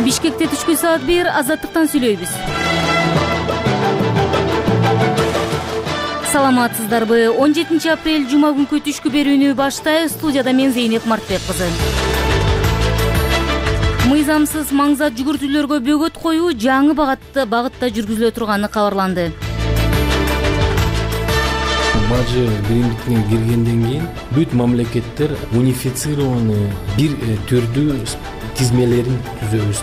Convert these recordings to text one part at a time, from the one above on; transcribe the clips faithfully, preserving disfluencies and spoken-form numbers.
Бишкекте түшкү саат бир азаттыктан сүйлөйбүз. Саламатсыздарбы? он жетинчи апрель жума күнкү түшкү берүүнү баштайбыз. Студияда мен Зейнеп Мартбек кызы. Мыйзамсыз маңзат жүгүртүүлөргө бөгөт коюу жаңы багытта багытта жүргүзүлө турганы кабарланды. Бажы биримдикине киргенден кийин бүт мамлекеттер унифицированный бир түрдүү тизмелерин түзөбүз.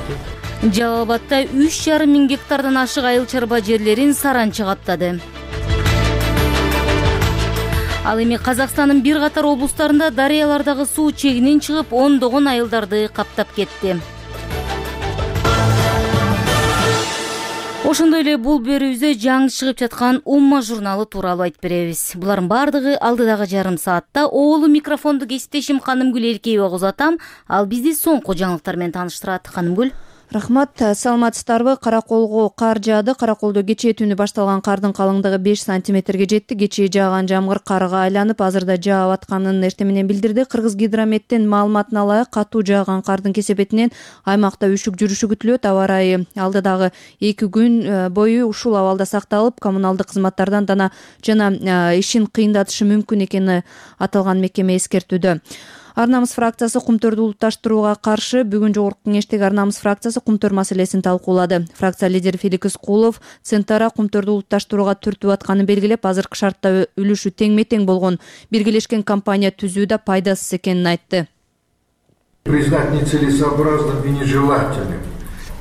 Жалал Абадда үч жарым миң гектардан ашык айыл чарба жерлерин саранча каптады. Ал эми Казакстандын бир катар облустарында дарыялардагы суу чегинен чыгып, ондогон айылдарды каптап кетти. Ошондой эле бул берүүбүздө жаңы чыгып жаткан Умма журналы тууралуу айтып беребиз. Булардын бардыгы алдыдагы жарым саатта. Оолу микрофонду кесиптешим Канымгүл Эркеева узатам. Ал бизди соңку жаңылыктар менен тааныштырат. Канымгүл. Рахмат, саламатсыздарбы? Караколго кар жаады. Караколдо кечээ түнү башталган кардын калыңдыгы беш сантиметрге жетти. Кечээ жааган жамгыр карга айланып, азырда жаап атканын эртең менен билдирди. Кыргыз гидрометтин маалыматына ылайык, катуу жааган кардын кесепетинен аймакта үшүк жүрүшү күтүлөт. Аба ырайы алдыдагы эки күн бою ушул абалда сакталып, коммуналдык кызматтардан дана жана ишин кыйындатышы мүмкүн экени аталган мекеме эскертүүдө. Ар намыс фракциясы кумтөрдү улутташтырууга каршы бүгүн жогорку кеңештеги Ар намыс фракциясы кумтөр маселесин талкуулады. Фракция лидери Феликс Кулов Центара кумтөрдү улутташтырууга түртүп атканын белгилеп, азыркы шартта үлүшү теңме-тең болгон биргелешкен компания түзүү да пайдасыз экенин айтты. Признать нецелесообразным и нежелательным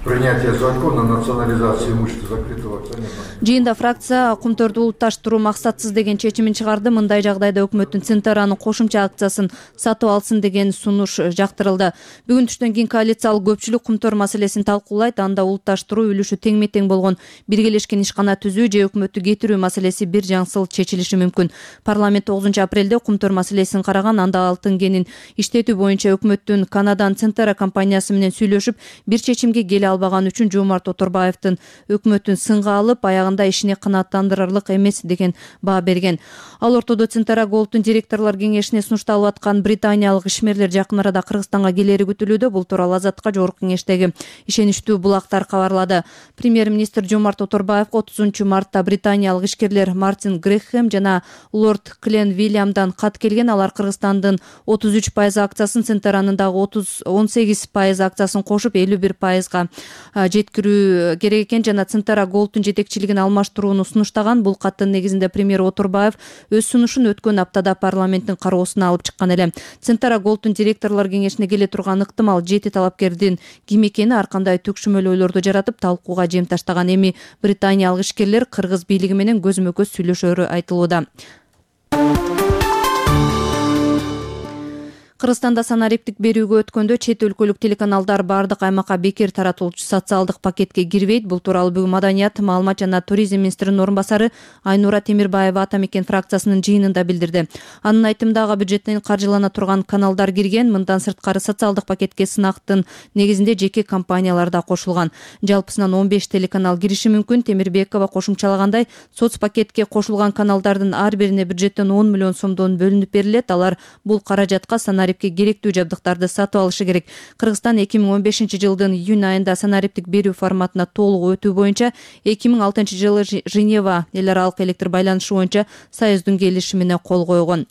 принятие закона о национализации имущества закрытого акционерного. Жыйында фракция кумтөрдү улутташтыруу максатсыз деген чечимин чыгарды. Мындай жагдайда өкмөттүн Центаранын кошумча акциясын сатып алсын деген сунуш жактырылды. Бүгүн түштөн кийин коалициялык көпчүлүк кумтөр маселесин талкуулайт. Анда улутташтыруу үлүшү теңме-тең болгон биргелешкен ишкана түзүү же өкмөттү кетирүү маселеси бир жаңсыл чечилиши мүмкүн. Парламент тогузунчу апрелде кумтөр маселесин караган. Анда алтын кенин иштетүү боюнча өкмөттүн Канадан Центара компаниясы менен сүйлөшүп, бир чечимге келе албаган үчүн Жомарт Оторбаевдин өкмөтүн сынга алып, аягында ишине канааттандырарлык эмес деген баа берген. Ал ортодо Центара Голдтун директорлор кеңешине сунушталып аткан британиялык ишмерлер жакын арада Кыргызстанга келери күтүлүүдө. Бул тууралуу Азаттыкка жогорку кеңештеги ишеничтүү булактар кабарлады. Премьер-министр Жомарт Оторбаевга отузунчу мартта британиялык ишкерлер Мартин Грэхэм жана лорд Клен Вильямдан кат келген. Алар Кыргызстандын отуз үч пайыз акциясын, Центаранын дагы он сегиз пайыз акциясын кошуп элүү бир пайызга жеткирүү керек экен жана Центара Голдтун жетекчилигин алмаштырууну сунуштаган. Бул каттын негизинде премьер Оторбаев өз сунушун өткөн аптада парламенттин кароосуна алып чыккан эле. Центара Голдтун директорлор кеңешине келе турган ыктымал жети талапкердин ким экени ар кандай түкшүмөл ойлорду жаратып, талкууга жем таштаган. Эми британиялык ишкерлер кыргыз бийлиги менен көзмө көз сүйлөшөрү айтылууда. Кыргызстанда санариптик берүүгө өткөндө чет өлкөлүк телеканалдар бардык аймакка бекер таратылчу социалдык пакетке кирбейт. Бул тууралуу бүгүн Маданият, маалымат жана туризм министринин орун басары Айнура Темирбаева Ата мекен фракциясынын жыйынында билдирди. Анын айтымында бюджеттен каржылана турган каналдар кирген. Мындан сырткары социалдык пакетке сынактын негизинде жеке компаниялар да кошулган. Жалпысынан он беш телеканал кириши мүмкүн. Темирбекова кошумчалагандай, соц пакетке кошулган каналдардын ар бирине бюджеттен он миллион сомдон бөлүнүп берилет. Алар бул каражатка санарип керектүү жабдыктарды сатып алышы керек. Кыргызстан эки миң он бешинчи жылдын июнь айында санариптик берүү форматына толук өтүү боюнча эки миң алтынчы жылы Женева эл аралык электр байланышы боюнча союздун келишимине кол койгон.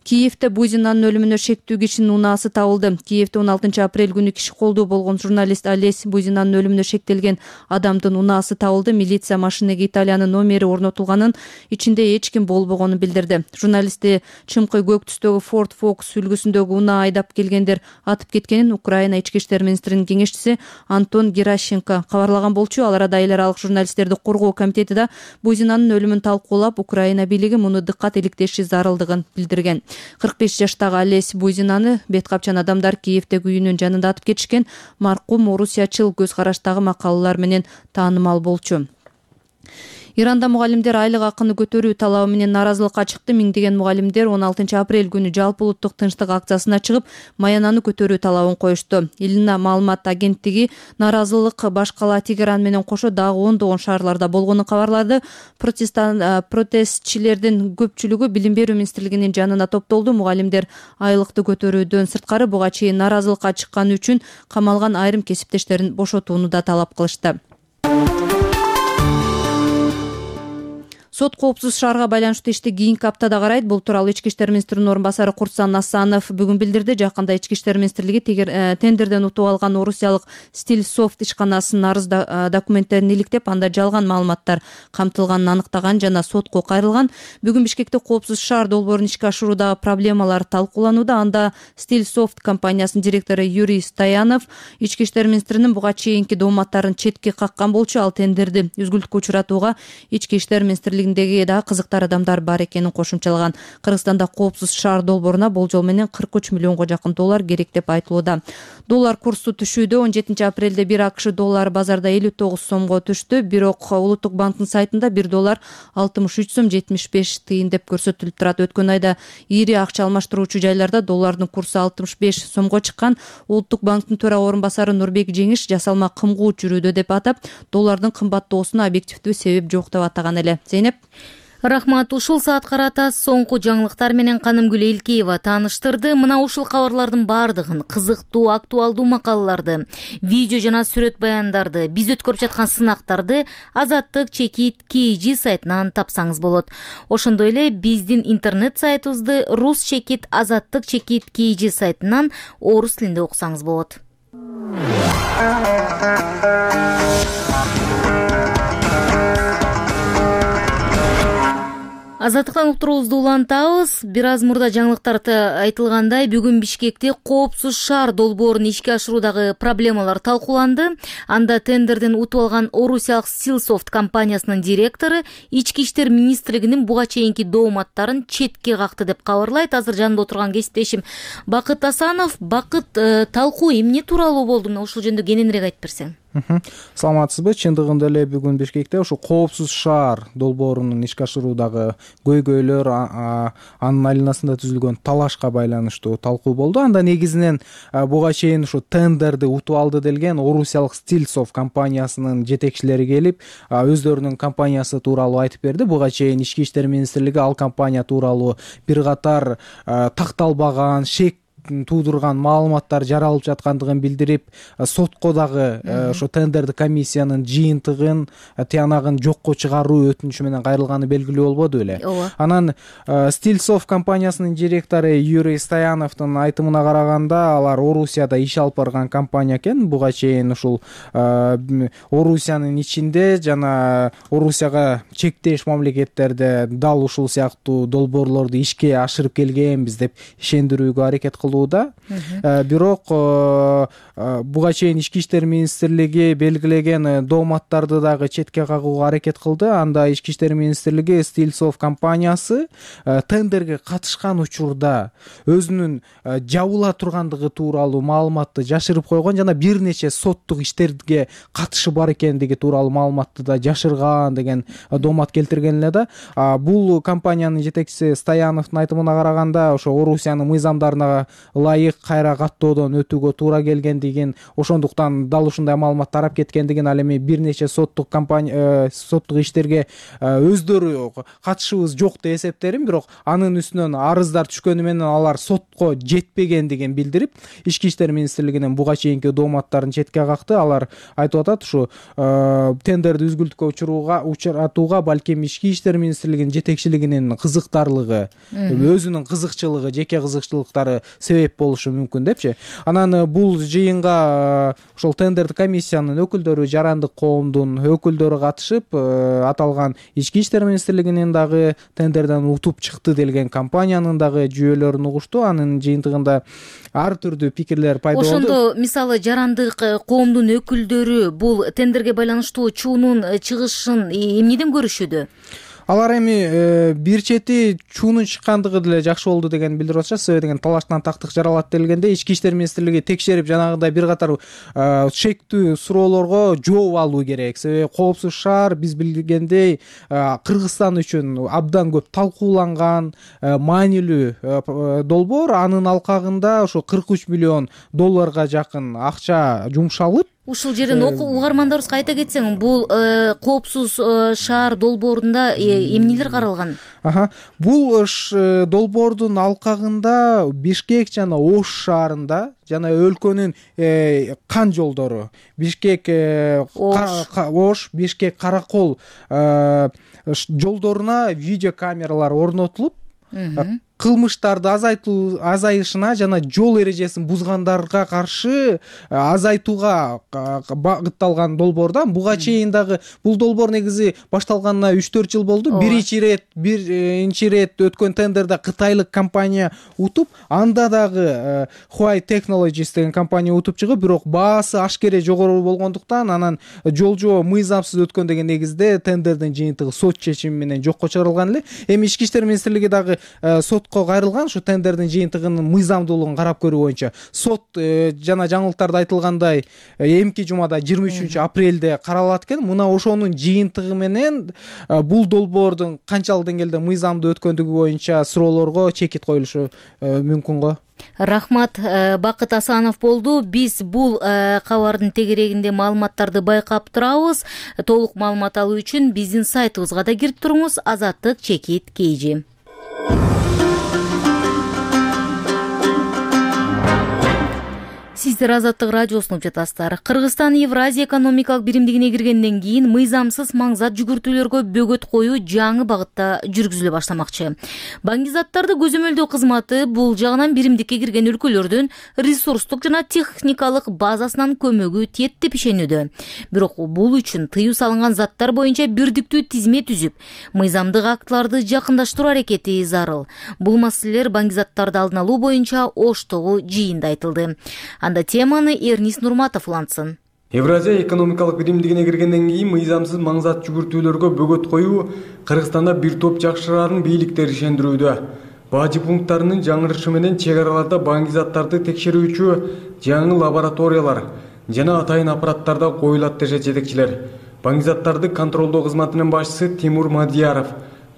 Киевде Бузинанын өлүмүнө шектүү кишинин унаасы табылды. Киевде он алтынчы апрель күнү киши колдуу болгон журналист Олесь Бузинанын өлүмүнө шектелген адамдын унаасы табылды. Милиция машинеге Италиянын номери орнотулганын, ичинде эч ким болбогонун билдирди. Журналистти чымкы көк түстөгү Ford Focus үлгүсүндөгү унаа айдап келгендер атып кеткенин Украина ички иштер министринин кеңешчиси Антон Геращенко кабарлаган болчу. Ал арада эл аралык журналисттерди коргоо комитети да Бузинанын өлүмүн талкуулап, Украина бийлиги муну дыккат иликтеши зарылдыгын билдирген. кырк беш жаштагы Олесь Бузинаны бет капчан адамдар Киевдеги үйүнүн жанында атып кетишкен. Маркум орусиячыл көз караштагы макалалар менен таанымал болчу. Иранда мугалимдер айлык акыны көтөрүү талабы менен нааразылыкка чыкты. Миңдеген мугалимдер он алтынчы апрель күнү жалпы улуттук тынчтык акциясына чыгып, маянаны көтөрүү талабын коюшту. Илина маалымат агенттиги нааразылык баш кала Тегеран менен кошо дагы ондогон шаарларда болгонун кабарлады. Протестчилердин көпчүлүгү Билим берүү министрлигинин жанына топтолду. Мугалимдер айлыкты көтөрүүдөн сырткары буга чейин нааразылыкка чыкканы үчүн камалган айрым кесиптештерин бошотууну да талап кылышты. Сот коопсуз шаарга байланыштуу ишти кийинки аптада карайт. Бул тууралуу Ички иштер министринин орун басары Куртсан Асанов бүгүн билдирди. Жакында Ички иштер министрлиги тендерден утуп алган орусиялык Стилсофт ишканасынын арыз документтерин иликтеп, анда жалган маалыматтар камтылганын аныктаган жана сотко кайрылган. Бүгүн Бишкекте коопсуз шаар долбоорун ишке ашыруудагы проблемалар талкууланууда. Анда Стилсофт компаниясынын директору Юрий Стоянов Ички иштер министринин буга чейинки дооматтарын четке каккан болчу. Ал тендерди үзгүлтүккө учуратууга Ички иштер министрлиги да кызыктар адамдар бар экенин кошумчалаган. Кыргызстанда коопсуз шаар долбооруна болжол менен кырк үч миллионго жакын доллар керек деп айтылууда. Доллар курсу түшүүдө. он жетинчи апрелде бир АКШ доллары базарда элүү тогуз сомго түштү. Бирок Улуттук банктын сайтында бир доллар алтымыш үч сом жетимиш беш тыйын деп көрсөтүлүп турат. Өткөн айда ири акча алмаштыруучу жайларда доллардын курсу алтымыш беш сомго чыккан. Улуттук банктын төрага орун басары Нурбек Жеңиш жасалма кымгуу жүрүүдө деп атап, доллардын кымбаттоосуна объективдүү себеп жок деп атаган эле. Зейнеп. Рахмат. Ушул саат карата соңку жаңылыктар менен Канымгүл Элкеева тааныштырды. Мына ушул кабарлардын бардыгын, кызыктуу, актуалдуу макалаларды, видео жана сүрөт баяндарды, биз өткөрүп жаткан сынактарды Азаттык чекит кей жи сайтынан тапсаңыз болот. Ошондой эле биздин интернет сайтыбызды рус чекит азаттык чекит кей жи сайтынан орус тилинде окусаңыз болот. Азаттыктан уктуруубузду улантабыз. Бир аз мурда жаңылыктарда айтылгандай, бүгүн Бишкекте коопсуз шаар долбоорун ишке ашыруудагы проблемалар талкууланды. Анда тендерден утуп алган орусиялык Стилсофт компаниясынын директору Ички иштер министрлигинин буга чейинки дооматтарын четке какты деп кабарлайт азыр жанымда отурган кесиптешим Бакыт Асанов. Бакыт, талкуу эмне тууралуу болду? Мына ушул жөнүндө кененирээк айтып берсең. Саламатсызбы? Чындыгында эле бүгүн Бишкекте ушу коопсуз шаар долбоорунун ишке ашыруудагы көйгөйлөр, анын айланасында түзүлгөн талашка байланыштуу талкуу болду. Анда негизинен буга чейин ушу тендерди утуп алды делген орусиялык Стилсофт компаниясынын жетекчилери келип, өздөрүнүн компаниясы тууралуу айтып берди. Буга чейин Ички иштер министрлиги ал компания тууралуу бир катар такталбаган, шек туудурган маалыматтар жаралып жаткандыгын билдирип, сотко дагы ошо тендерди комиссиянын жыйынтыгын, тиянагын жокко чыгаруу өтүнүчү менен кайрылганы белгилүү болбоду беле. Анан Стилсофт компаниясынын директору Юрий Стояновдун айтымына караганда, алар Орусияда иш алып барган компания экен. Буга чейин ушул Орусиянын ичинде жана Орусияга чектеш мамлекеттерде дал ушул сыяктуу долбоорлорду ишке ашырып келгенбиз деп ишендирүүгө аракет кылды. Бирок буга чейин Ички иштер министрлиги белгилеген дооматтарды дагы четке кагууга аракет кылды. Анда Ички иштер министрлиги Стилсофт компаниясы тендерге катышкан учурда өзүнүн жабыла тургандыгы тууралуу маалыматты жашырып койгон жана бир нече соттук иштерге катышы бар экендиги тууралуу маалыматты да жашырган деген доомат келтирген эле да. Бул компаниянын жетекчиси Стояновдун айтымына караганда, ошо Орусиянын мыйзамдарына ылайык кайра каттоодон өтүүгө туура келгендигин, ошондуктан дал ушундай маалымат тарап кеткендигин, ал эми бир нече соттук компания соттук иштерге өздөрү катышыбыз жок деп эсептерин, бирок анын үстүнөн арыздар түшкөнү менен алар сотко жетпегендигин билдирип, Ички иштер министрлигинин буга чейинки дооматтарын четке какты. Алар айтып атат, ушу тендерди үзгүлтүккө учурууга учуратууга балким Ички иштер министрлигинин жетекчилигинин кызыктарлыгы, өзүнүн кызыкчылыгы, жеке кызыкчылыктары себеп болушу мүмкүн депчи. Анан бул жыйынга ошол тендерди комиссиянын өкүлдөрү, жарандык коомдун өкүлдөрү катышып, аталган Ички иштер министрлигинин дагы тендерден утуп чыкты делген компаниянын дагы жүйөлөрүн угушту. Анын жыйынтыгында ар түрдүү пикирлер пайда болду. Ошондо мисалы жарандык коомдун өкүлдөрү бул тендерге байланыштуу чуунун чыгышын эмнеден көрүшүүдө? алар эми бир чети чуунун чыккандыгы деле жакшы болду деген билдирип атышат. себеби деген талаштан тактык жаралат делгенде ички иштер министрлиги текшерип жанагындай бир катар шектүү суроолорго жооп алуу керек. Себеби коопсуз шаар биз билгендей Кыргызстан үчүн абдан көп талкууланган маанилүү долбоор. Анын алкагында ошо кырк үч миллион долларга жакын акча жумшалып. Ушул жерден угармандарыбызга айта кетсең, бул коопсуз шаар долбоорунда эмнелер каралган? Аха, бул долбоордун алкагында Бишкек жана Ош шаарында жана өлкөнүн кан жолдору Бишкек Ош, Бишкек Каракол жолдоруна видео камералар орнотулуп, кылмыштарды азайтуу азайышына жана жол эрежесин бузгандарга каршы азайтууга багытталган долбоордан. Буга чейин дагы бул долбоор негизи башталганына үч төрт жыл болду. Биринчи ирет биринчи ирет өткөн тендерде кытайлык компания утуп, анда дагы Huawei Technologies деген компания утуп чыгып, бирок баасы ашкере жогору болгондуктан анан жол жоо мыйзамсыз өткөн деген негизде тендердин жыйынтыгы сот чечими менен жокко чыгарылган эле. Эми ички иштер министрлиги дагы сотко кайрылган, ушу тендердин жыйынтыгынын мыйзамдуулугун карап көрүү боюнча. Сот жана жаңылыктарда айтылгандай эмки жумада жыйырма үчүнчү апрелде каралат экен. Мына ошонун жыйынтыгы менен бул долбоордун канчалык деңгээлде мыйзамдуу өткөндүгү боюнча суроолорго чекит коюлушу мүмкүн го. Рахмат, Бакыт Асанов болду. Биз бул кабардын тегерегинде маалыматтарды байкап турабыз. Толук маалымат алуу үчүн биздин сайтыбызга да кирип туруңуз. Азаттык чекит кейжи. Сиздер Азаттык радиосун угуп жатасыздар. Кыргызстан Евразия экономикалык биримдигине киргенден кийин мыйзамсыз маңзат жүгүртүүлөргө бөгөт коюу жаңы багытта жүргүзүлө баштамакчы. Баңгизаттарды көзөмөлдөө кызматы бул жагынан биримдикке кирген өлкөлөрдүн ресурстук жана техникалык базасынан көмөгү тиет деп ишенүүдө. Бирок бул үчүн тыюу салынган заттар боюнча бирдиктүү тизме түзүп, мыйзамдык актыларды жакындаштыруу аракети зарыл. Бул маселелер баңгизаттарды алдын алуу боюнча Оштогу жыйында айтылды. Анда теманы Эрнис Нурматов улантсын. Евразия экономикалык биримдигине киргенден кийин мыйзамсыз маңзат жүгүртүүлөргө бөгөт коюу Кыргызстанда бир топ жакшырарын бийликтер ишендирүүдө. Бажы пункттарынын жаңырышы менен чек араларда баңгизаттарды текшерүүчү жаңы лабораториялар жана атайын аппараттарда коюлат дешет жетекчилер. Баңгизаттарды контролдоо кызматынын башчысы Тимур Мадияров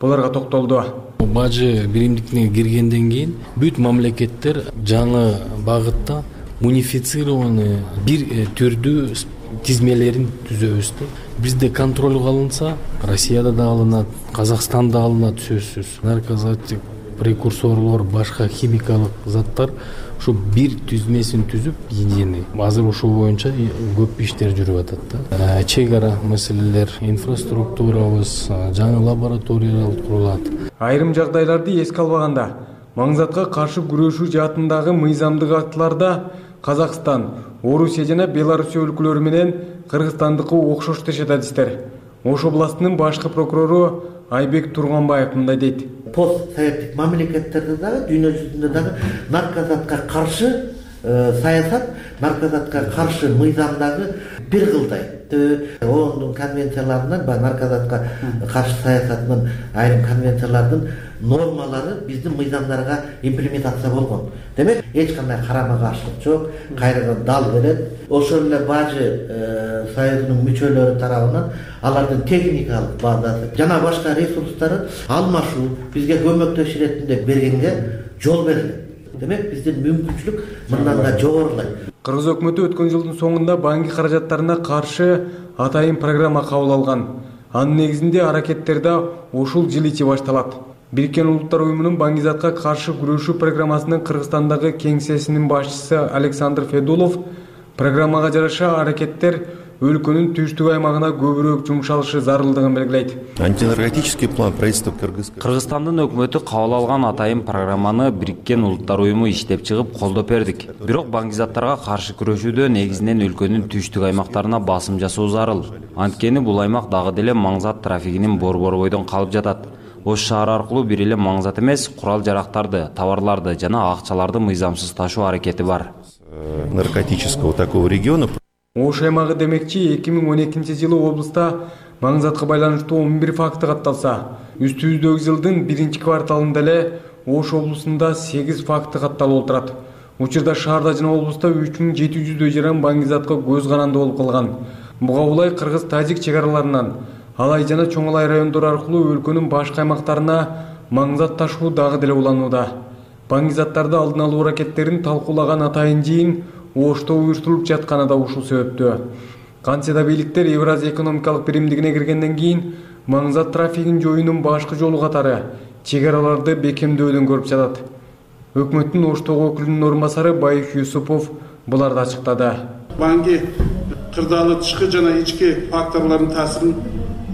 буларга токтолду. Бажы биримдигине киргенден кийин бүт мамлекеттер жаңы багытта унифицированный бир түрдүү тизмелерин түзөбүз. Бизде контролго алынса, Россияда да алынат, Казакстанда алынат сөзсүз. Наркотик, прекурсорлор, башка химикалык заттар ушу бир түзмесин түзүп, единый. Азыр ушул боюнча көп иштер жүрүп атат да. Чек ара маселелер, инфраструктурабыз, жаңы лабораториялар курулат. Айрым жагдайларды эске албаганда, маңзатка каршы күрөшүү жаатындагы мыйзамдык актыларда Казакстан, Орусия жана Белоруссия өлкөлөрү менен Кыргызстандыкы окшош дешет адистер. Ош областынын башкы прокурору Айбек Турганбаев мындай дейт. Постсоветтик мамлекеттерде дагы, дүйнө жүзүндө дагы наркозатка каршы саясат, наркозатка каршы мыйзамдагы бир кылдай. ООНдун конвенцияларынан, ба наркозатка каршы саясатынын айрым конвенциялардын нормалары биздин мыйзамдарга имплементация болгон. Демек, эч кандай карама каршылык жок, кайрадан дал берет. Ошол эле Бажы союзунун мүчөлөрү тарабынан алардын техникалык базасы жана башка ресурстары алмашуу, бизге көмөктөш иретинде бергенге жол берилет. Демек, биздин мүмкүнчүлүк мындан да жогорулайт. Кыргыз өкмөтү өткөн жылдын соңунда банки каражаттарына каршы атайын программа кабыл алган. Анын негизинде аракеттерде ушул жыл ичи башталат. Бириккен Улуттар уюмунун баңгизатка каршы күрөшүү программасынын Кыргызстандагы кеңсесинин башчысы Александр Федулов программага жараша аракеттер өлкөнүн түштүк аймагына көбүрөөк жумшалышы зарылдыгын белгилейт. Антинаркотический план правительства Кыргызстандын өкмөтү кабыл алган атайын программаны Бириккен Улуттар уюму иштеп чыгып колдоп бердик. Бирок баңгизаттарга каршы күрөшүүдө негизинен өлкөнүн түштүк аймактарына басым жасоо зарыл. Анткени бул аймак дагы деле маңзат трафигинин борбор-бойдон калып жатат. Ош шаары аркылуу бир эле маңзат эмес, курал-жарактарды, товарларды жана акчаларды мыйзамсыз ташуу аракети бар. Наркотического такого региона. Ош аймагы демекчи эки миң он экинчи жылы облуста маңзатка байланыштуу он бир факты катталса, Үстүбүздөгү жылдын биринчи кварталында эле Ош облусунда сегиз факты катталып отурат. Учурда шаарда жана облуста үч миң жети жүздөй жаран баңгизатка көз каранды болуп калган. Буга улай кыргыз-тажик чек араларынан Алай жана Чоң Алай райондору аркылуу өлкөнүн башка аймактарына маңзат ташуу дагы деле уланууда. Баңгизаттарды алдын алуу аракеттерин талкуулаган атайын жыйын Ошто уюштурулуп жатканы да ушул себептөө. Кантсе да бийликтер Евразия экономикалык биримдигине киргенден кийин маңзат трафигин жоюунун башкы жолу катары чек араларды бекемдөөлүн көрүп жатат. Өкмөттүн Оштогу өкүлүнүн орун басары Байыш Юсупов буларды ачыктады. Банги кырдаалы тышкы жана ички факторлордун таасирин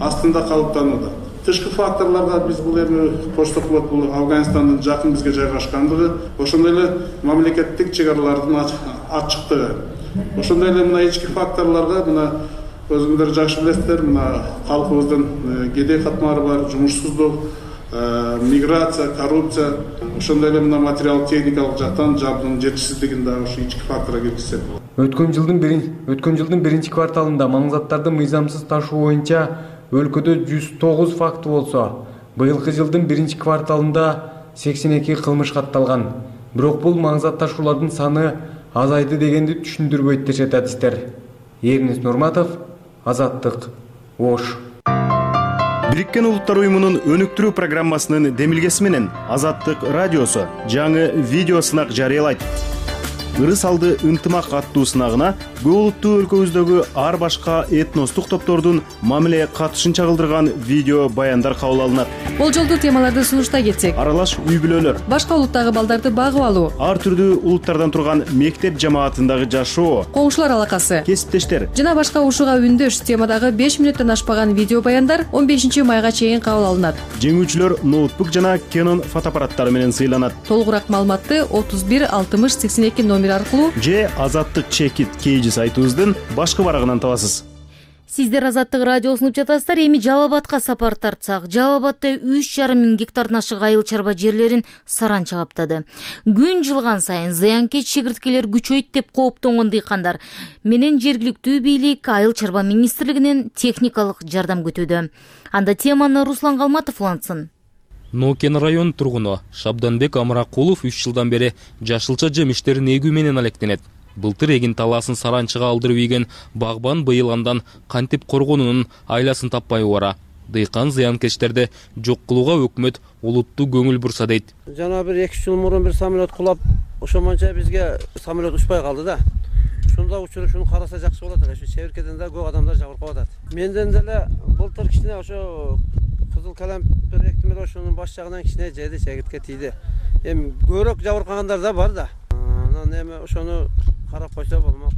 астында калыптанууда. Тышкы факторлорго биз бул эми кошток болот, бул Афганистандын жакын бизге жайгашкандыгы, ошондой эле мамлекеттик чек аралардын ачыктыгы. Ошондой эле мына ички факторлорго мына өзүңүздөр жакшы билесиздер, мына калкыбыздын кедей катмары бар, жумушсуздук, миграция, коррупция, ошондой эле мына материалдык техникалык жактан жабдыгынын жетишсиздигин да ошо ички факторго киргизсек болот. Өткөн жылдын биринчи өткөн жылдын биринчи кварталында маңзаттарды мыйзамсыз ташуу боюнча өлкөдө жүз тогуз факты болсо, быйылкы жылдын биринчи кварталында сексен эки кылмыш катталган. Бирок бул маңзат ташуулардын саны азайды дегенди түшүндүрбөйт дешет адистер. Эрнис Нурматов, Азаттык, Ош. Бириккен Улуттар уюмунун өнүктүрүү программасынын демилгеси менен Азаттык радиосу жаңы видео сынак жарыялайт. Ырыс алды ынтымак аттуу сынагына көп улуттуу өлкөбүздөгү ар башка этностук топтордун мамиле катышын чагылдырган видео баяндар кабыл алынат. Болжолдуу темаларды сунуштай кетсек: аралаш үй бүлөлөр, башка улуттагы балдарды багып алуу, ар түрдүү улуттардан турган мектеп жамаатындагы жашоо, коңшулар алакасы, кесиптештер жана башка ушуга үндөш темадагы беш мүнөттөн ашпаган видео баяндар он бешинчи майга чейин кабыл алынат. Жеңүүчүлөр ноутбук жана Canon фотоаппараттары менен сыйланат. Толугураак маалыматты отуз бир алтымыш сексен эки номер аркылуу же Азаттык чекит кейжи сайтыбыздын башкы барагынан табасыз. Сиздер Азаттык радиосун угуп жатасыздар. Эми Жалал Абадка сапар тартсак, Жалал Абадда үч жарым миң гектардан ашык айыл чарба жерлерин саранча каптады. Күн жылган сайын зыянкеч чегирткелер күчөйт деп кооптонгон дыйкандар менен жергиликтүү бийлик айыл чарба министрлигинен техникалык жардам күтүүдө. Анда теманы Руслан Калматов улантсын. Нокен район тургуну Шабданбек Амракулов үч жылдан бери жашылча жемиштерин эгүү менен алектенет. Былтыр эгин талаасын саранчага алдырып ийген багбан быйыл андан кантип коргонунун айласын таппай бара. Дыйкан зыянкечтерди жок кылууга өкмөт улуттуу көңүл бурса дейт. Жана бир эки жыл мурун бир самолет кулап, ошомонча бизге самолет учпай калды да. Ушунда учуруп ушуну караса жакшы болот эле. Ушу чебиркеден да көп адамдар жабыркап атат. Менден деле былтыр кичине ошо кызыл калемпир эктимер ошонун баш жагынан кичине жеди, чегиртке тийди. Эми көбүрөөк жабыркагандар да бар да. Анан эми ошону карап койсо болмок.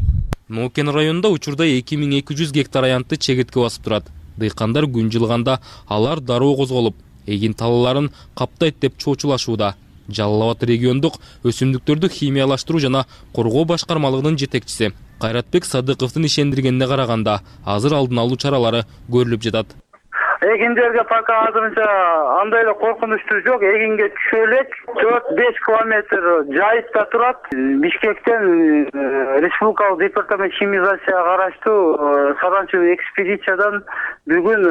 Нокен районунда учурда эки миң эки жүз гектар аянтты чегиртке басып турат. Дыйкандар күн жылганда алар дароо козголуп, эгин талааларын каптайт деп чоочулашууда. Жалал Абад региондук өсүмдүктөрдү химиялаштыруу жана коргоо башкармалыгынын жетекчиси Кайратбек Садыковдун ишендиргенине караганда, азыр алдын алуу чаралары көрүлүп жатат. Эгиндерге пока азырынча андай эле коркунучтуу жок. Эгинге түшө элек төрт беш километр жайытта турат. Бишкектен республикалык департамент химизацияга караштуу саранча экспедициядан бүгүн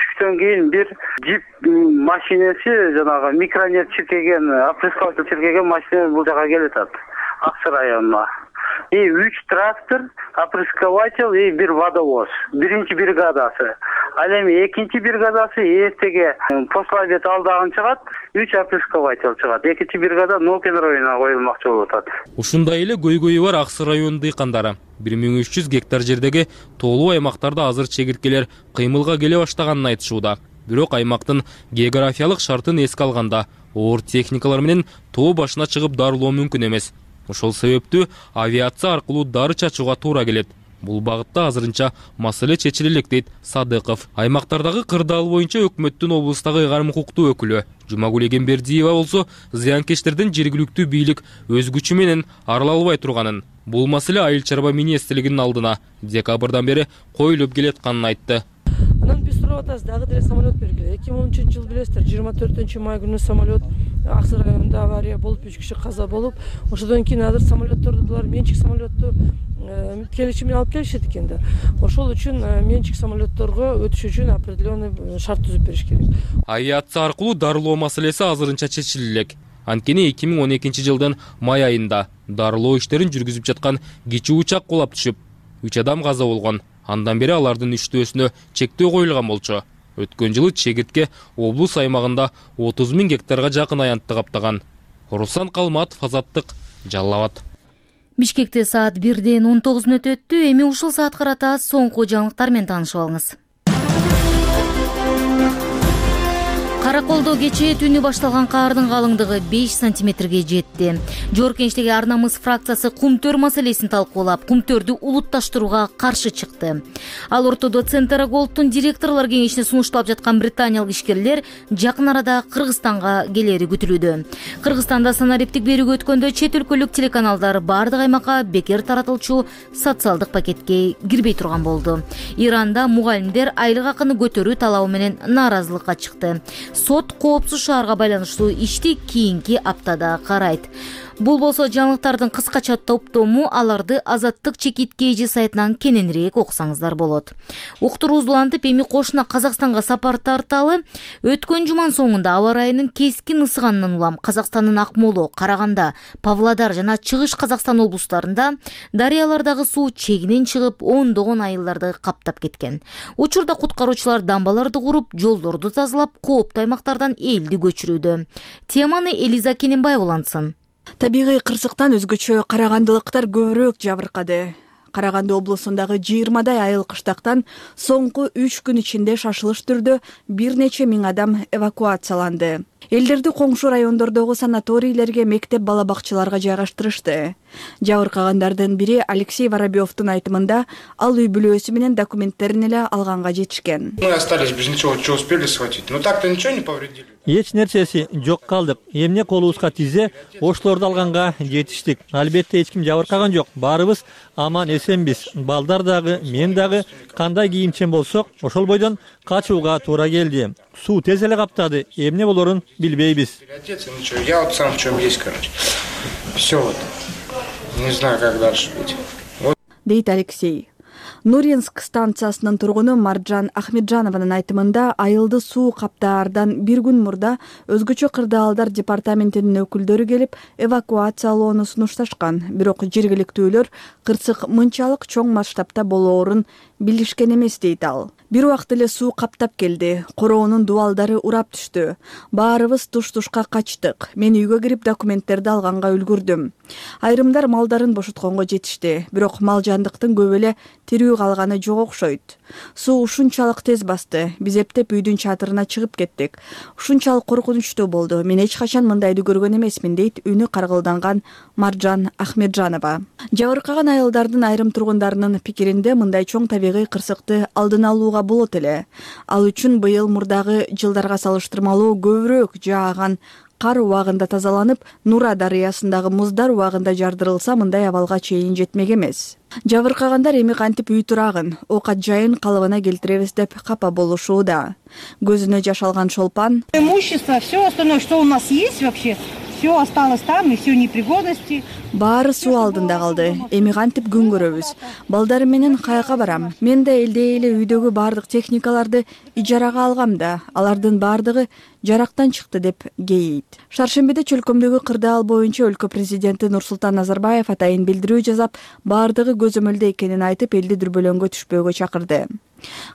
түштөн кийин бир джип машинеси, жанагы микронет чиркеген, опрыскиватель чиркеген машина бул жака келатат. Аксы районуна. И үч трактор, опрыскиватель и бир водовоз. Биринчи бригадасы. Ал эми экинчи бригадасы эртеге после обед алдагын чыгат, үч опрыскиватель чыгат. Экинчи бригада Нокен районуна коюлмакчы болуп атат. Ушундай эле көйгөйү бар Аксы районунун дыйкандары. бир миң үч жүз гектар жердеги тоолуу аймактарда азыр чегирткелер кыймылга келе баштаганын айтышууда. Бирок аймактын географиялык шартын эске алганда, оор техникалар менен тоо башына чыгып дарылоо мүмкүн эмес. Ошол себептүү авиация аркылуу дары чачууга туура келет. Бул багытта азырынча маселе чечиле элек дейт Садыков. Аймактардагы кырдаал боюнча өкмөттүн облустагы ыйгарым укуктуу өкүлү Жумагүл Эгембердиева болсо зыянкечтердин жергиликтүү бийлик өз күчү менен арыла албай турганын, бул маселе айыл чарба министрлигинин алдына декабрдан бери коюлуп келатканын айтты. Анан биз сурап атабыз, дагы деле самолет бергиле. эки миң он үчүнчү жыл билесиздер, жыйырма төртүнчү май күнү самолет Аксы районунда авария болуп, үч киши каза болуп, ошодон кийин азыр самолетторду булар менчик самолетту келишим менен алып келишет экен да. Ошол үчүн менчик самолетторго өтүш үчүн определенный шарт түзүп бериш керек. Авиация аркылуу дарылоо маселеси азырынча чечиле элек. Анткени эки миң он экинчи жылдын май айында дарылоо иштерин жүргүзүп жаткан кичи учак кулап түшүп, үч адам каза болгон. Андан бери алардын иштөөсүнө чектөө коюлган болчу. Өткөн жылы чегиртке облус аймагында отуз миң гектарга жакын аянтты каптаган. Руслан Калматов, Азаттык, Жалал Абад. Бишкекте саат бирден он тогуз мүнөт өттү. Эми ушул саат карата соңку жаңылыктар менен таанышып алыңыз. Караколдо кечээ түнү башталган каардын калыңдыгы беш сантиметрге жетти. Жоркенчтеги ар намыс фракциясы кумтөр маселесин талкуулап, кумтөрдү улутташтырууга каршы чыкты. Ал ортодо Центр Голдтун директорлор кеңешине сунушталып жаткан британиялык ишкерлер жакын арада Кыргызстанга келери күтүлүүдө. Кыргызстанда санариптик берүүгө өткөндө чет өлкөлүк телеканалдар бардык аймакка бекер таратылчу социалдык пакетке кирбей турган болду. Иранда мугалимдер айлык акыны көтөрүү талабы менен нааразылыкка чыкты. Сот коопсуз шаарга байланыштуу ишти кийинки аптада карайт. Бул болсо жаңылыктардын кыскача топтому, аларды Азаттык чекит кж сайтынан кененирээк окусаңыздар болот. Уктуруубуз улантып, эми кошуна Казакстанга сапар тарталы. Өткөн жуманын соңунда аба ырайынын кескин ысыганынан улам Казакстандын Акмола, Караганда, Павлодар жана Чыгыш Казакстан облустарында дарыялардагы суу чегинен чыгып, ондогон айылдарды каптап кеткен. Учурда куткаруучулар дамбаларды куруп, жолдорду тазалап, кооптуу аймактардан элди көчүрүүдө. Теманы Элиза Кененбаева улантсын. Табигый кырсыктан өзгөчө карагандылыктар көбүрөөк жабыркады. Караганды облусундагы жыйырмадай айыл кыштактан соңку үч күн ичинде шашылыш түрдө бир нече миң адам эвакуацияланды. Элдерди коңшу райондордогу санаторийлерге, мектеп бала бакчаларга жайгаштырышты. Жабыркагандардын бири Алексей Воробьевдун айтымында, ал үй бүлөсү менен документтерин эле алганга жетишкен. Мы остались без ничего, что успели схватить. Но так-то ничего не повредили. Эч нерсеси жок калдык. Эмне колубузга тизе, ошлорду алганга жетиштик. Албетте эч ким жабыркаган жок. Баарыбыз аман эсенбиз. Балдар дагы, мен дагы кандай кийимчен болсок, ошол бойдон качууга туура келди. Суу тез эле каптады. Эмне болорун билбейбиз. Ничего, я вот сам в чем есть, короче. Все вот. Не знаю, как дальше быть. Вот. Дейт Алексей. Нуринск станциясынын тургуну Маржан Ахмеджанованын айтымында, айылды суу каптаардан бир күн мурда өзгөчө кырдаалдар департаментинин өкүлдөрү келип эвакуациялоону сунушташкан. Бирок жергиликтүүлөр кырсык мынчалык чоң масштабта болоорун билишкен эмес дейт ал. Бир убакыт эле суу каптап келди. Короонун дубалдары урап түштү. Баарыбыз туш-тушка качтык. Мен үйгө кирип документтерди алганга үлгүрдүм. Айрымдар малдарын бошотконго жетишти. Бирок мал жандыктын көп эле тирүү калганы жок окшойт. Суу ушунчалык тез басты. Биз эптеп үйдүн чатырына чыгып кеттик. Ушунчалык коркунучтуу болду. Мен эч качан мындайды көргөн эмесмин, дейт үнү каргылданган Маржан Ахмеджанова. Жабыркаган айылдардын айрым тургундарынын пикиринде, мындай чоң табигый кырсыкты алдын алууга болот эле. Ал үчүн быйыл мурдагы жылдарга салыштырмалуу көбүрөөк жааган кар убагында тазаланып, Нура дарыясындагы муздар убагында жардырылса, мындай абалга чейин жетмек эмес. Жабыркагандар эми кантип үй турагын, оокат жайын калыбына келтиребиз деп капа болушууда. Көзүнө жаш алган Шолпан: Имущество, все остальное, что у нас есть вообще, все осталось там, и все непригодности. Баары суу алдында калды. Эми кантип күн көрөбүз? Балдарым менен каяка барам? Мен да элдей эле үйдөгү баардык техникаларды ижарага алгам да, алардын баардыгы жарактан чыкты, деп кейийт. Шаршембиде чөлкөмдөгү кырдаал боюнча өлкө президенти Нурсултан Назарбаев атайын билдирүү жасап, баардыгы көзөмөлдө экенин айтып, элди дүрбөлөңгө түшпөөгө чакырды.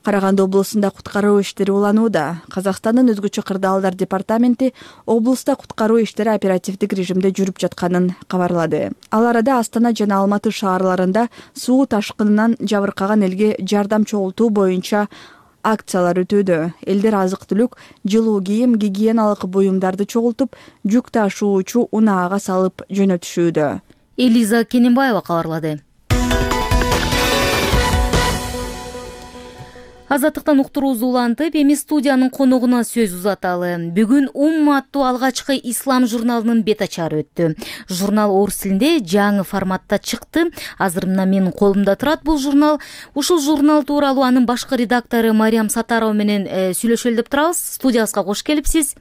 Караганды облусунда куткаруу иштери уланууда. Казакстандын өзгөчө кырдаалдар департаменти облуста куткаруу иштери оперативдик режимде жүрүп жатканын кабарлады. Ал арада Астана жана Алматы шаарларында суу ташкынынан жабыркаган элге жардам чогултуу боюнча акциялар өтүүдө. Элдер азык-түлүк, жылуу кийим, гигиеналык буюмдарды чогултуп, жүк ташуучу унаага салып жөнөтүшүүдө. Элиза Кененбаева кабарлады. Азаттыктан уктуруубузду улантып, эми студиянын коногуна сөз узаталы. Бүгүн Умма аттуу алгачкы ислам журналынын бет ачары өттү. Журнал орус тилинде жаңы форматта чыкты. Азыр мына менин колумда турат бул журнал. Ушул журнал тууралуу анын башкы редактору Мариям Сатарова менен сүйлөшөлү деп турабыз. Студиябызга кош келипсиз.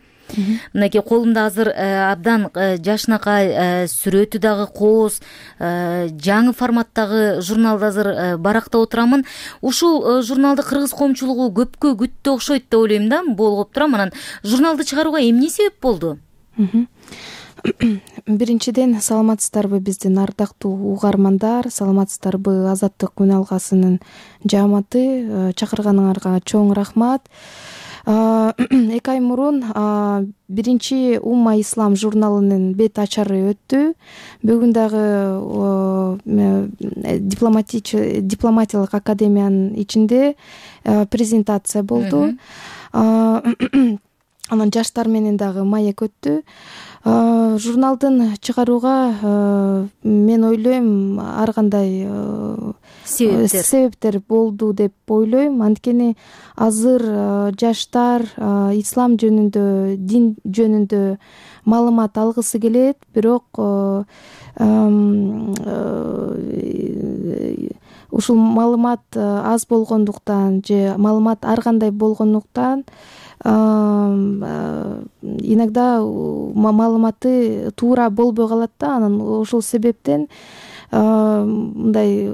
мынакей колумда азыр абдан жашынакай сүрөтү дагы кооз жаңы форматтагы журналды азыр барактап отурамын. Ушул журналды кыргыз коомчулугу көпкө күттү окшойт деп ойлойм да, болуп турам. Анан журналды чыгарууга эмне себеп болду? Биринчиден, саламатсыздарбы биздин ардактуу угармандар, саламатсыздарбы Азаттык күн алгасынын жааматы, чакырганыңарга чоң рахмат. Эки ай мурун биринчи Умма Ислам журналынын бет ачары өттү. Бүгүн дагы дипломатиялык академиянын ичинде презентация болду. Анан жаштар менен дагы маек өттү. Журналдын чыгарууга мен ойлойм ар кандай себептер болду деп ойлойм. Анткени азыр жаштар ислам жөнүндө, дин жөнүндө маалымат алгысы келет, бирок ушул маалымат аз болгондуктан же маалымат ар кандай болгондуктан иногда маалыматы туура болбой калат да. Анан ошол себептен мындай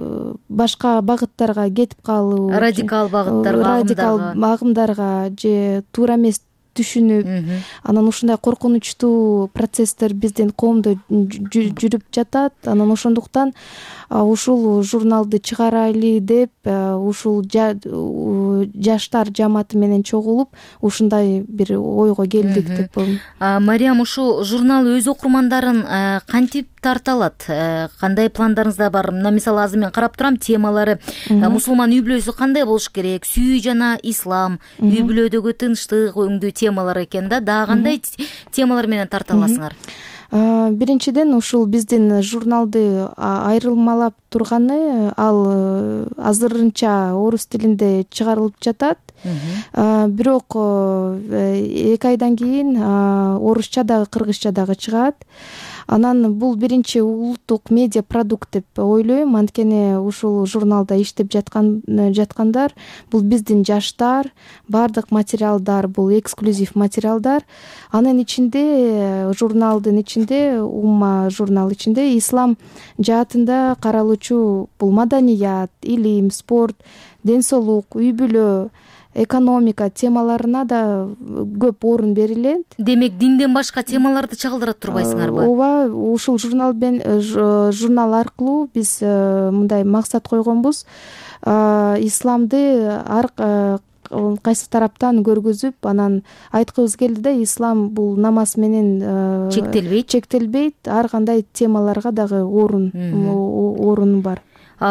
башка багыттарга кетип калуу, радикал багыттарга, радикал агымдарга же туура эмес түшүнүп, анан ушундай коркунучтуу процесстер биздин коомдо жүрүп жатат. Анан ошондуктан ушул журналды чыгарайлы деп ушул жаштар жамааты менен чогулуп ушундай бир ойго келдик деп коем. Мариям, ушул журнал өз окурмандарын кантип тарта алат? Кандай пландарыңызда бар? Мына мисалы азыр мен карап турам, темалары мусулман үй бүлөсү кандай болуш керек, сүйүү жана ислам, үй бүлөдөгү тынчтык өңдүү темалар экен да. Дагы кандай темалар менен тарта аласыңар? Биринчиден, ушул биздин журналды айрылмалап турганы, ал азырынча орус тилинде чыгарылып жатат. Бирок эки айдан кийин орусча дагы, кыргызча дагы чыгат. Анан бул биринчи улуттук медиа продукт деп ойлойм. Анткени ушул журналда иштеп жаткан жаткандар бул биздин жаштар, бардык материалдар бул эксклюзив материалдар. Анын ичинде, журналдын ичинде, Умма журнал ичинде ислам жаатында каралуучу бул маданият, илим, спорт, ден соолук, үй бүлө, экономика темаларына да көп орун берилет. Демек, динден башка темаларды чагылдыра турбайсыңарбы? Ооба, ушул журнал журнал аркылуу биз мындай максат койгонбуз. Исламды ар кайсы тараптан көргөзүп, анан айткыбыз келди да, ислам бул намаз менен чектелбейт, чектелбейт, ар кандай темаларга дагы орун орун бар.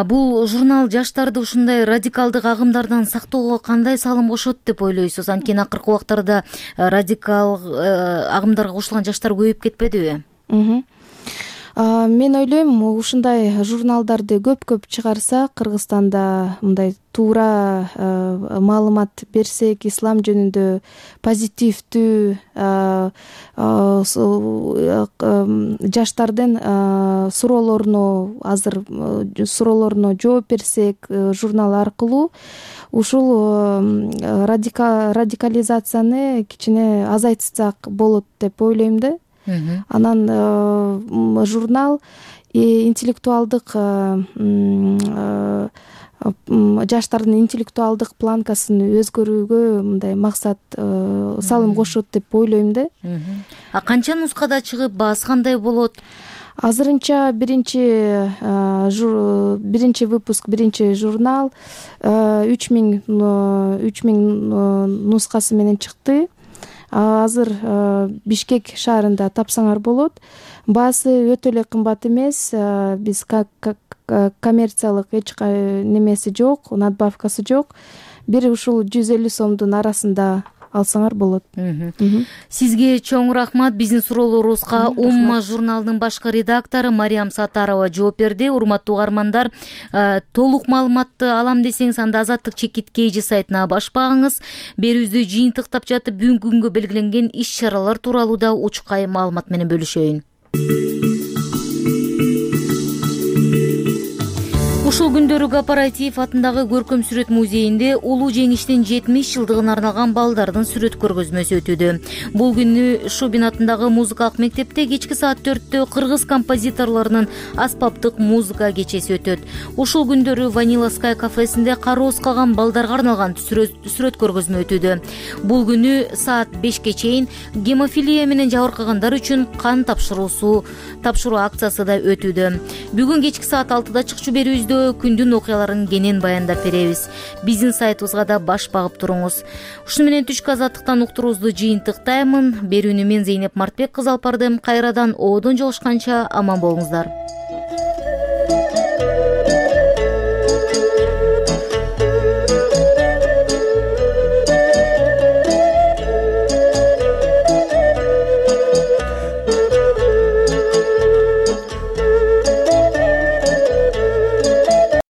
Бул журнал жаштарды ушундай радикалдык агымдардан сактоого кандай салым кошот деп ойлойсуз? Анткени акыркы убактарда радикал агымдарга кошулган жаштар көбөйүп кетпедиби? Мен ойлойм, ушундай журналдарды көп-көп чыгарса, Кыргызстанда мындай туура маалымат берсек, ислам жөнүндө позитивдүү жаштардын суроолоруна азыр суроолоруна жооп берсек журнал аркылуу, ушул радикализацияны кичине азайтсак болот деп ойлойм да. Анан журнал интеллектуалдык жаштардын интеллектуалдык планкасын өзгөрүүгө мындай максат салым кошот деп ойлойм да. А канча нускада чыгып, баасы кандай болот? Азырынча биринчи биринчи выпуск, биринчи журнал үч миң нускасы менен чыкты. Азыр Бишкек шаарында тапсаңар болот. Баасы өтө эле кымбат эмес. Биз коммерциялык эч немеси жок, надбавкасы жок. Бир ушул жүз элүү сомдун арасында алсаңар болот. Сизге чоң рахмат. Биздин суроолорубузга Умма журналынын башкы редактору Мариям Сатарова жооп берди. Урматтуу угармандар, толук маалыматты алам десеңиз, анда Азаттык чекит kg сайтына баш багыңыз. Берүүбүздү жыйынтыктап жатып, бүгүнкү күнгө белгиленген иш-чаралар тууралуу да учкай маалымат менен бөлүшөйүн. Ушул күндөрү Кооператив атындагы көркөм сүрөт музейинде улуу жеңиштин жетимиш жылдыгына арналган балдардын сүрөт көргөзмөсү өтүүдө. Бул күнү Шубин атындагы музыкалык мектепте кечки саат төрттө кыргыз композиторлорунун аспаптык музыка кечеси өтөт. Ушул күндөрү Vanilla Sky кафесинде кароосуз калган балдарга арналган сүрөт көргөзмө өтүүдө. Бул күнү саат бешке чейин гемофилия менен жабыркагандар үчүн кан тапшыруусу тапшыруу акциясы да өтүүдө. Бүгүн кечки саат алтыда чыкчу берүүбүздө күндүн окуяларын кенен баяндап беребиз. Биздин сайтыбызга да баш багып туруңуз. Ушуну менен түшкү азаттыктан уктуруубузду жыйынтыктаймын. Берүүнү мен Зейнеп Мартбек кызы алып бардым. Кайрадан оодон жолушканча аман болуңуздар.